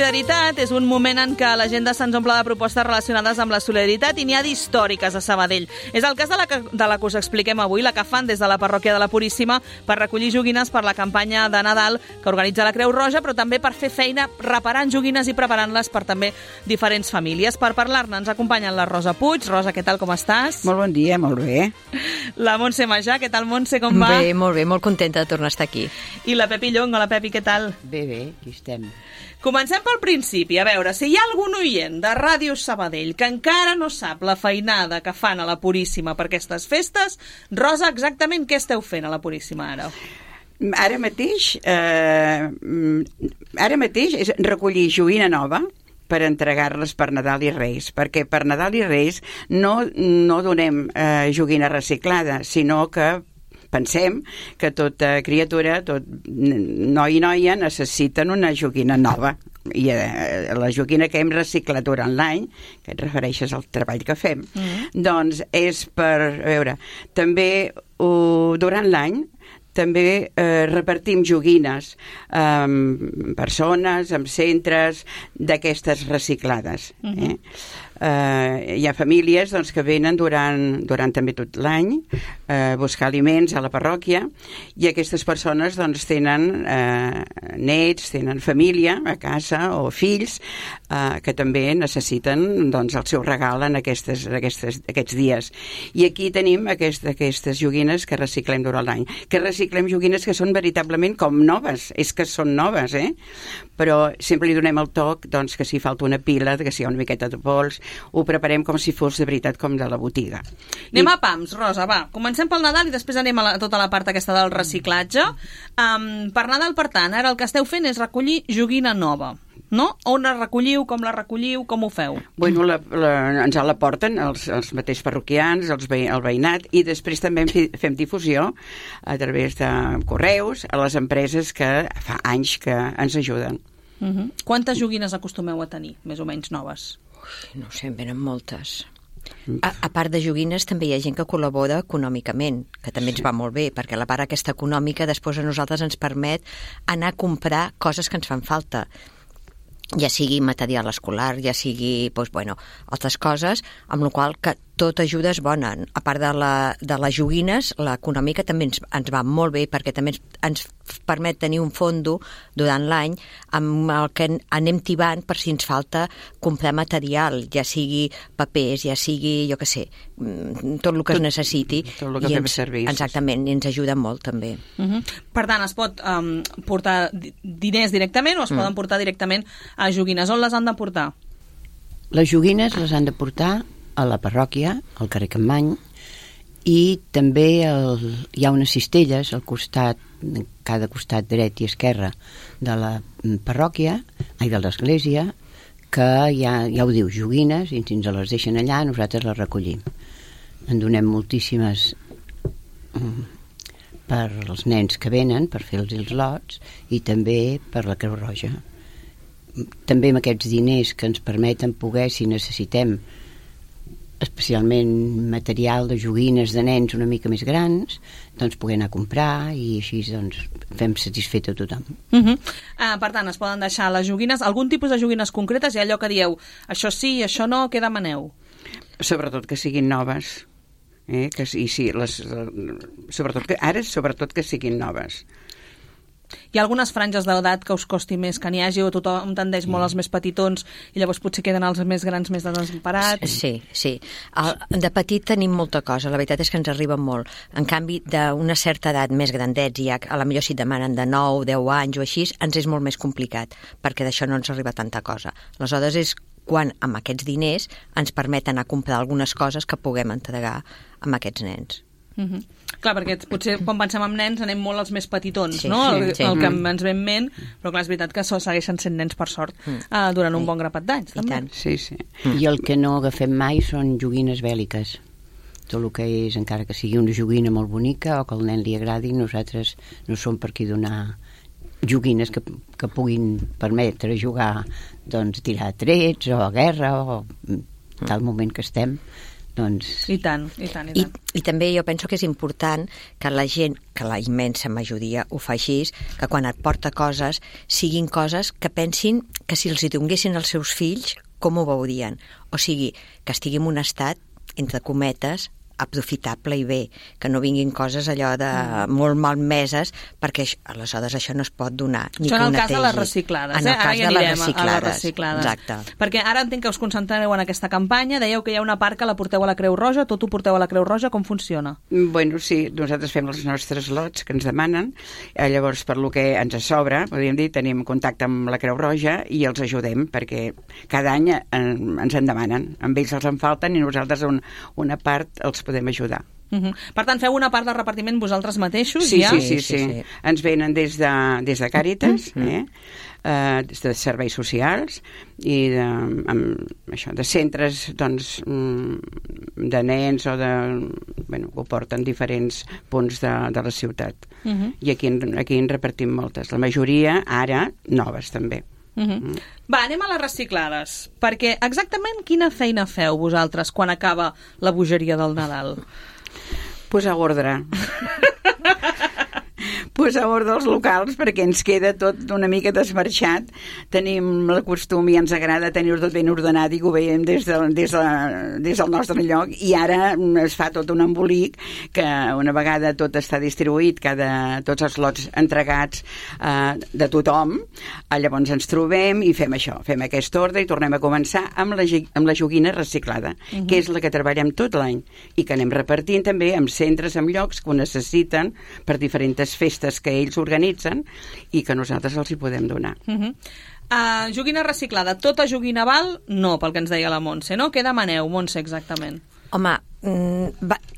solidaritat és un moment en què l'agenda se'ns omple de propostes relacionades amb la solidaritat i n'hi ha d'històriques a Sabadell. És el cas de la que us expliquem avui, la que fan des de la parròquia de la Puríssima per recollir joguines per la campanya de Nadal que organitza la Creu Roja, però també per fer feina reparant joguines i preparant-les per també diferents famílies. Per parlar-ne ens acompanyen la Rosa Puig. Rosa, què tal, com estàs? Molt bon dia, molt bé. La Montse Majà, què tal, Montse, com va? Bé, molt contenta de tornar a estar aquí. I la Pepi Llong, hola Pepi, què tal? Bé, aquí estem. Comencem pel principi, a veure, si hi ha algun oient de Ràdio Sabadell que encara no sap la feinada que fan a la Puríssima per aquestes festes, Rosa, exactament què esteu fent a la Puríssima ara? Ara mateix és recollir joguina nova per entregar-les per Nadal i Reis, perquè per Nadal i Reis no donem joguina reciclada, sinó que pensem que tota criatura, tot noi i noia necessiten una joguina nova. I la joguina que hem reciclat durant l'any, que et refereixes al treball que fem, doncs és per, a veure, també durant l'any també repartim joguines amb persones, amb centres d'aquestes reciclades. Hi ha famílies doncs, que venen durant també tot l'any a buscar aliments a la parròquia i aquestes persones doncs, tenen nets, tenen família a casa o fills que també necessiten doncs, el seu regal en aquests dies. I aquí tenim aquestes joguines que reciclem durant l'any. Que reciclem joguines que són veritablement com noves. És que són noves, però sempre li donem el toc doncs, que si falta una pila, que si hi ha una miqueta de pols, ho preparem com si fos de veritat com de la botiga. Anem a pams, Rosa, va. Comencem pel Nadal i després anem a tota la part aquesta del reciclatge. Per Nadal, per tant, ara el que esteu fent és recollir joguina nova, no? On la recolliu, com ho feu? Bueno, ens la porten els mateixos parroquians, el veïnat, i després també fem difusió a través de correus a les empreses que fa anys que ens ajuden. Quantes joguines acostumeu a tenir, més o menys noves? No ho sé, en venen moltes. A part de joguines també hi ha gent que col·labora econòmicament, que també ens va molt bé, perquè la part aquesta econòmica després a nosaltres ens permet anar a comprar coses que ens fan falta, ja sigui material escolar, ja sigui altres coses, amb la qual cosa tot ajuda és bona. A part de les joguines, l'econòmica també ens va molt bé, perquè també ens permet tenir un fondo durant l'any amb el que anem tibant per si ens falta comprar material, ja sigui papers, ja sigui, jo què sé, tot el que es necessiti. Tot el que fem servir. Exactament, i ens ajuda molt també. Per tant, es pot portar diners directament o es poden portar directament a joguines. On les han de portar? Les joguines les han de portar a la parròquia, al carrer Campmany, i també hi ha unes cistelles al costat, cada costat dret i esquerre de la parròquia, de l'església, que ja ho diu, joguines, i si ens les deixen allà, nosaltres les recollim. En donem moltíssimes per als nens que venen, per fer els lots, i també per la Creu Roja. També amb aquests diners que ens permeten poder, si necessitem especialment material de joguines de nens una mica més grans, doncs poder anar a comprar i així doncs fem satisfet a tothom. Per tant, es poden deixar les joguines, algun tipus de joguines concretes, hi ha allò que dieu, això sí, això no, què demaneu? Sobretot que siguin noves. Sobretot que siguin noves. Hi ha algunes franges d'edat que us costi més que n'hi hagi o tothom tendeix molt als més petitons i llavors potser queden els més grans més desemparats? Sí. De petit tenim molta cosa, la veritat és que ens arriba molt. En canvi, d'una certa edat més grandets, i a la millor si demanen de 9, 10 anys o així, ens és molt més complicat, perquè d'això no ens arriba tanta cosa. Aleshores és quan amb aquests diners ens permeten anar a comprar algunes coses que puguem entregar amb aquests nens. Clar, perquè potser quan pensem en nens anem molt als més petitons, no? El que ens ve en ment, però clar, és veritat que segueixen sent nens per sort durant un bon grapat d'anys. Sí. I el que no agafem mai són joguines bèl·liques. Tot el que és, encara que sigui una joguina molt bonica o que al nen li agradi, nosaltres no som per aquí donar joguines que puguin permetre jugar, doncs, tirar trets o a guerra o tal moment que estem, Doncs... I tant. I també jo penso que és important que la gent, que la immensa majoria ho fa així, que quan et porta coses, siguin coses que pensin que si els hi donguessin als seus fills, com ho veurien. O sigui, que estigui en un estat, entre cometes, aprofitable i bé, que no vinguin coses allò de molt malmeses, perquè aleshores això no es pot donar. Ni això en el cas netegi. de les reciclades. En el cas ja de les reciclades. Exacte. Perquè ara entenc que us concentreu en aquesta campanya, dèieu que hi ha una part que la porteu a la Creu Roja, tot ho porteu a la Creu Roja, com funciona? Bueno, sí, nosaltres fem els nostres lots que ens demanen, llavors per lo que ens sobra, podríem dir, tenim contacte amb la Creu Roja i els ajudem, perquè cada any ens en demanen, amb ells els en falten i nosaltres una part els podem ajudar. Per tant, feu una part del repartiment vosaltres mateixos? Sí, ja? sí. Ens venen des de Càritas, des de serveis socials i de centres doncs, de nens o de... Bueno, ho porten diferents punts de la ciutat. I aquí en repartim moltes. La majoria, ara, noves també. Va, anem a les reciclades, perquè exactament quina feina feu vosaltres quan acaba la bogeria del Nadal? Posar ordre. Posar ordre als locals perquè ens queda tot una mica desmarxat. Tenim el costum i ens agrada tenir-ho tot ben ordenat i que ho veiem des del nostre lloc, i ara es fa tot un embolic que una vegada tot està distribuït, tots els lots entregats de tothom, llavors ens trobem i fem això, fem aquest ordre i tornem a començar amb la joguina reciclada, que és la que treballem tot l'any i que anem repartint també amb centres, amb llocs que ho necessiten per diferents festes que ells organitzen i que nosaltres els hi podem donar. Joguina reciclada, tota joguina val? No, pel que ens deia la Montse, no? Què demaneu, Montse, exactament? Home,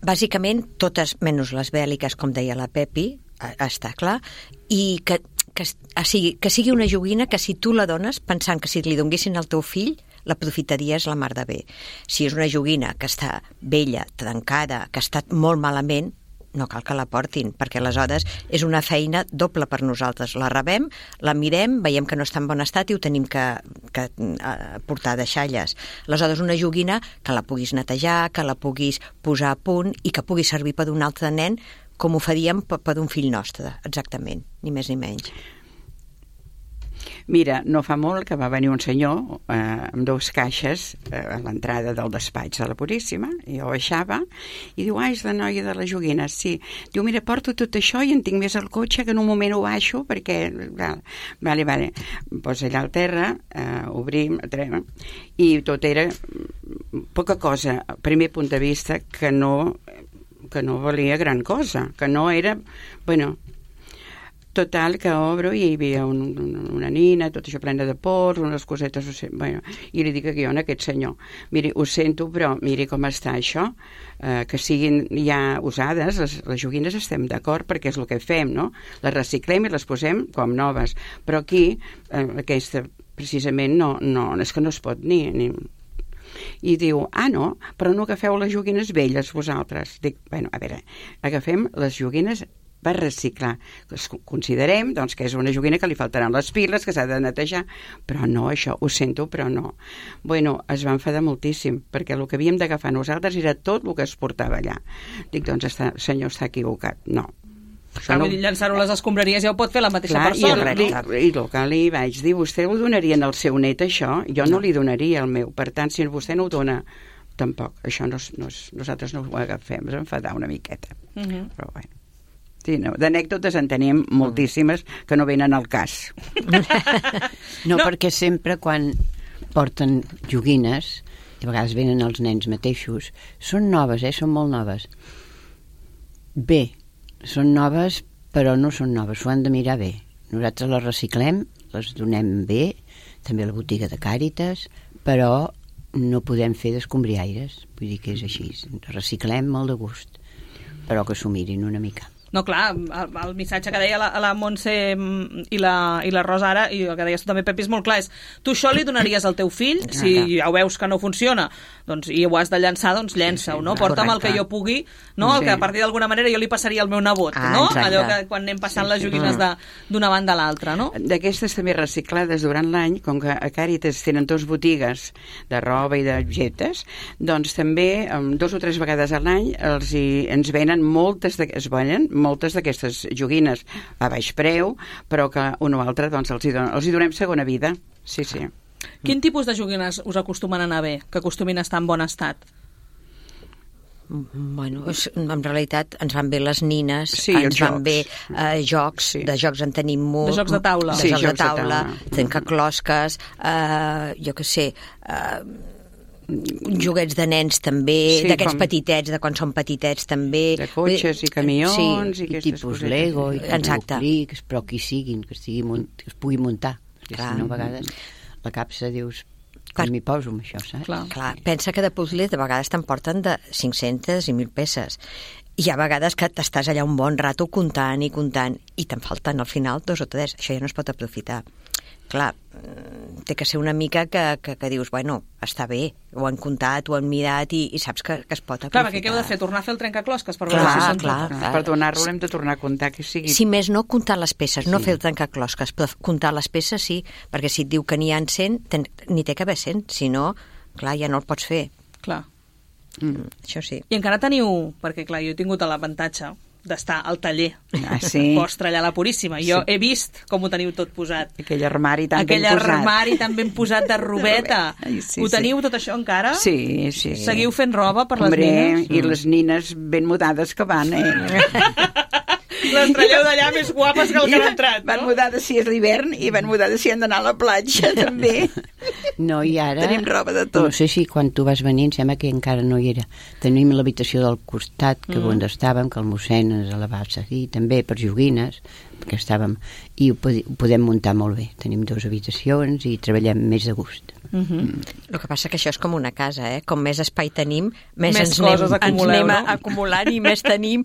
bàsicament totes, menys les bèl·liques, com deia la Pepi, està clar, i que sigui una joguina que si tu la dones pensant que si li donguessin al teu fill l'aprofitaries la mar de bé. Si és una joguina que està vella, trencada, que ha estat molt malament, no cal que la portin, perquè aleshores és una feina doble per nosaltres. La rebem, la mirem, veiem que no està en bon estat i ho tenim que portar a deixalles. Aleshores, una joguina que la puguis netejar, que la puguis posar a punt i que pugui servir per un altre nen com ho faríem per un fill nostre, exactament, ni més ni menys. Mira, no fa molt que va venir un senyor amb 2 caixes a l'entrada del despatx de la Puríssima, i jo baixava i diu, és la noia de les joguines, sí. Diu, mira, porto tot això i en tinc més al cotxe, que en un moment ho baixo perquè... Vale. Pues allà al terra, obrim, i tot era poca cosa, a primer punt de vista, que no valia gran cosa, que no era... Bueno, total, que obro i hi havia una nina, tot això plena de pols, unes cosetes, bueno, i li dic aquí a aquest senyor, miri, ho sento, però miri com està això, que siguin ja usades, les joguines estem d'acord perquè és el que fem, no? Les reciclem i les posem com noves, però aquí, aquesta, precisament, no, és que no es pot ni... I diu, no, però no agafeu les joguines velles vosaltres. Dic, bueno, a veure, agafem les joguines per reciclar. Considerem doncs, que és una joguina que li faltaran les piles, que s'ha de netejar, però no, això, ho sento, però no. Bueno, es va enfadar moltíssim, perquè el que havíem d'agafar nosaltres era tot el que es portava allà. Dic, doncs, senyor, està equivocat. No. Llançar-ho a les escombraries ja ho pot fer la mateixa persona, no? I el que li vaig dir, vostè ho donaria al seu net, això? Jo no li donaria el meu. Per tant, si vostè no ho dona, tampoc. Això nosaltres no ho agafem. Ens enfadar una miqueta. Però, bueno. Sí, no, d'anècdotes en tenim moltíssimes que no venen al cas. No, perquè sempre quan porten joguines, i a vegades venen els nens mateixos, són noves, són molt noves. Bé, són noves, però no són noves, ho han de mirar bé. Nosaltres les reciclem, les donem bé, també a la botiga de Càritas, però no podem fer d'escombriaires, vull dir que és així. Reciclem molt de gust, però que s'ho mirin una mica. No, clar, el missatge que deia la Montse i la Rosa ara, i el que deies tu també, Pepi, és molt clar, és tu això li donaries al teu fill, si ja ho veus que no funciona, doncs, i ho has de llançar, doncs llença-ho, no? Porta'm el que jo pugui, no? El que a partir d'alguna manera jo li passaria al meu nebot, no? Allò que quan anem passant les joguines d'una banda a l'altra, no? D'aquestes també reciclades durant l'any, com que a Càritas tenen 2 botigues de roba i d'objectes, doncs també 2 o 3 vegades a l'any ens venen moltes d'aquestes joguines a baix preu, però que un o altre doncs, els hi donem segona vida. Sí. Quin tipus de joguines us acostumen a anar bé, que acostumin a estar en bon estat? Bueno, en realitat ens van bé les nines, ens van bé jocs, de jocs en tenim molt. De jocs de taula. De jocs de taula, trencaclosques, jo què sé, joguets de nens també, d'aquests petitets, de quan són petitets també. De cotxes i camions i aquestes tipus Lego i clics, però qui siguin, que es pugui muntar. Perquè si no, a vegades la capsa dius, com m'hi poso amb això, saps? Clar, pensa que de puzzles de vegades t'emporten de 500 i 1.000 peces. I hi ha vegades que t'estàs allà un bon rato comptant i te'n falten al final 2 o 3. Això ja no es pot aprofitar. Clar, té que ser una mica que dius, bueno, està bé, ho han comptat, ho han mirat i saps que es pot aprofitar. Clar, perquè què heu de fer? Tornar a fer el trencaclosques per veure si són clar. Per donar-lo hem de tornar a comptar que sigui... Si més no, comptar les peces, no fer el trencaclosques, però comptar les peces sí, perquè si et diu que n'hi ha 100, n'hi té que haver 100, si no, clar, ja no el pots fer. Clar. Això sí. I encara teniu, perquè clar, jo he tingut l'avantatge d'estar al taller vostre allà a la Puríssima. Jo he vist com ho teniu tot posat. Aquell armari tan ben posat de robeta. Ho teniu tot això encara? Sí. Seguiu fent roba per les nines? I les nines ben mudades que van, Les traieu d'allà més guapes que el que han entrat, no? Van mudades si és l'hivern i van mudades si han d'anar a la platja, també. No, i ara... Tenim roba de tot. No sé si quan tu vas venir, em sembla que encara no hi era. Tenim l'habitació del costat, que on estàvem, que el mossèn ens la va seguir, també per joguines, perquè estàvem... I ho podem muntar molt bé. Tenim 2 habitacions i treballem més de gust. El que passa que això és com una casa, Com més espai tenim, més ens anem acumulant i més tenim,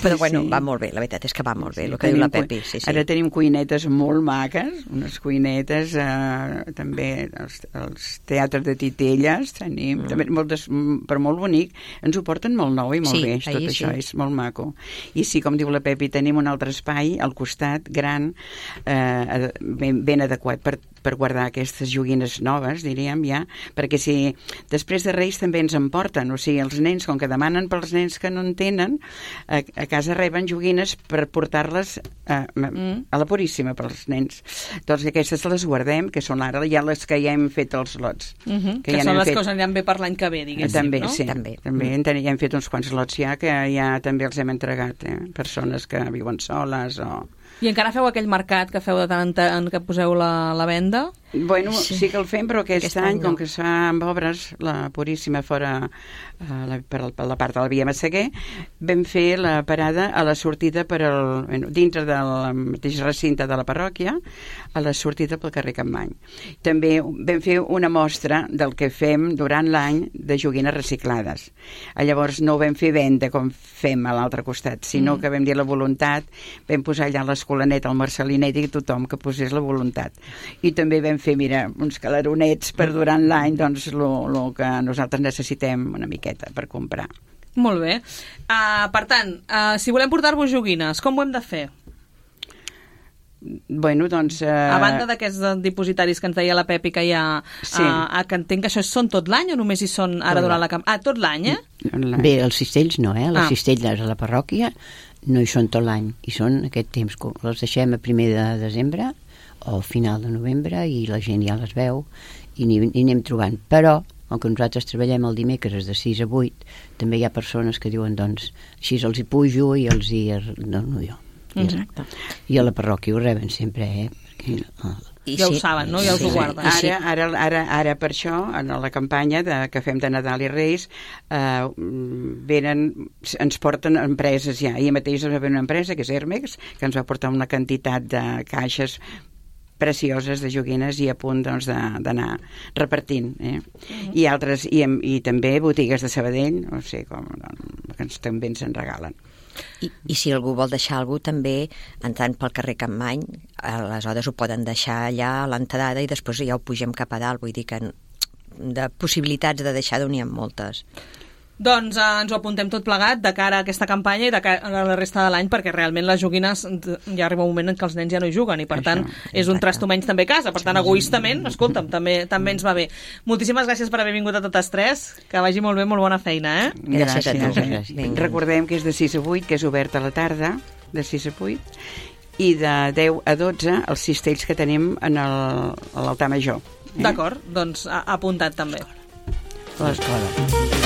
però bueno, va molt bé, la veritat és que va molt bé, el que diu la Pepi. Ara tenim cuinetes molt maques, unes cuinetes, també els teatres de titelles, tenim també moltes, però molt bonic, ens ho porten molt nou i molt bé, tot això és molt maco. I sí, com diu la Pepi, tenim un altre espai al costat, gran, ben adequat per guardar aquestes joguines noves, diríem, ja, perquè si després de Reis també ens emporten, o sigui, els nens, com que demanen pels nens que no en tenen, a casa reben joguines per portar-les a la Puríssima pels nens. Doncs aquestes les guardem, que són ara ja les que ja hem fet els lots. Que són les que us aniran bé per l'any que ve, diguéssim, també, no? Sí, també ja hem fet uns quants lots ja, que ja també els hem entregat, persones que viuen soles o... I encara feu aquell mercat que feu de tant en tant que poseu la venda? Bueno, sí que el fem, però aquest any, com que es fa amb obres, la Puríssima fora per la part de la Via Massaguer, vam fer la parada a la sortida dintre del mateix recinte de la parròquia, a la sortida pel carrer Campmany. També vam fer una mostra del que fem durant l'any de joguines reciclades. Llavors no ho vam fer venda com fem a l'altre costat, sinó que vam dir la voluntat, vam posar allà l'Escolanet, el Marcelinet i tothom que posés la voluntat. I també vam fer, mira, uns calaronets per durant l'any, doncs el que nosaltres necessitem una miqueta per comprar. Molt bé. Per tant, si volem portar-vos joguines, com ho hem de fer? Bueno, doncs... A banda d'aquests dipositaris que ens deia la Pepi que hi ha, que entenc que això són tot l'any o només hi són ara durant la campanya? Tot l'any, Bé, els cistells no, les cistelles a la parròquia no hi són tot l'any, hi són aquest temps, les deixem a 1 de desembre o final de novembre i la gent ja les veu i anem trobant, però com que nosaltres treballem el dimecres de 6 a 8, també hi ha persones que diuen, doncs, així els hi pujo i els hi dono jo. Exacte. I a la parròquia ho reben sempre, perquè... Ja ho saben, no? Ja us ho guarden. Ara per això, en la campanya que fem de Nadal i Reis, ens porten empreses ja. Ahir mateix va haver una empresa, que és Hermex, que ens va portar una quantitat de caixes precioses de joguines i a punt d'anar repartint. I altres, i també botigues de Sabadell, no sé, com que també ens en regalen. I si algú vol deixar alguna cosa, també, entrant pel carrer Campmany, aleshores ho poden deixar allà a l'entrada i després ja ho pugem cap a dalt. Vull dir que de possibilitats de deixar-ho n'hi ha moltes. Doncs ens ho apuntem tot plegat de cara a aquesta campanya i de cara a la resta de l'any, perquè realment les joguines ja arriba un moment en què els nens ja no hi juguen i per tant és un trasto menys també a casa, per tant egoistament, escolta'm, també ens va bé. Moltíssimes gràcies per haver vingut a totes tres, que vagi molt bé, molt bona feina, Gràcies a tu. Recordem que és de 6 a 8, que és obert a la tarda, de 6 a 8, i de 10 a 12 els cistells que tenim a l'altar major. D'acord, doncs apuntat també. L'escola.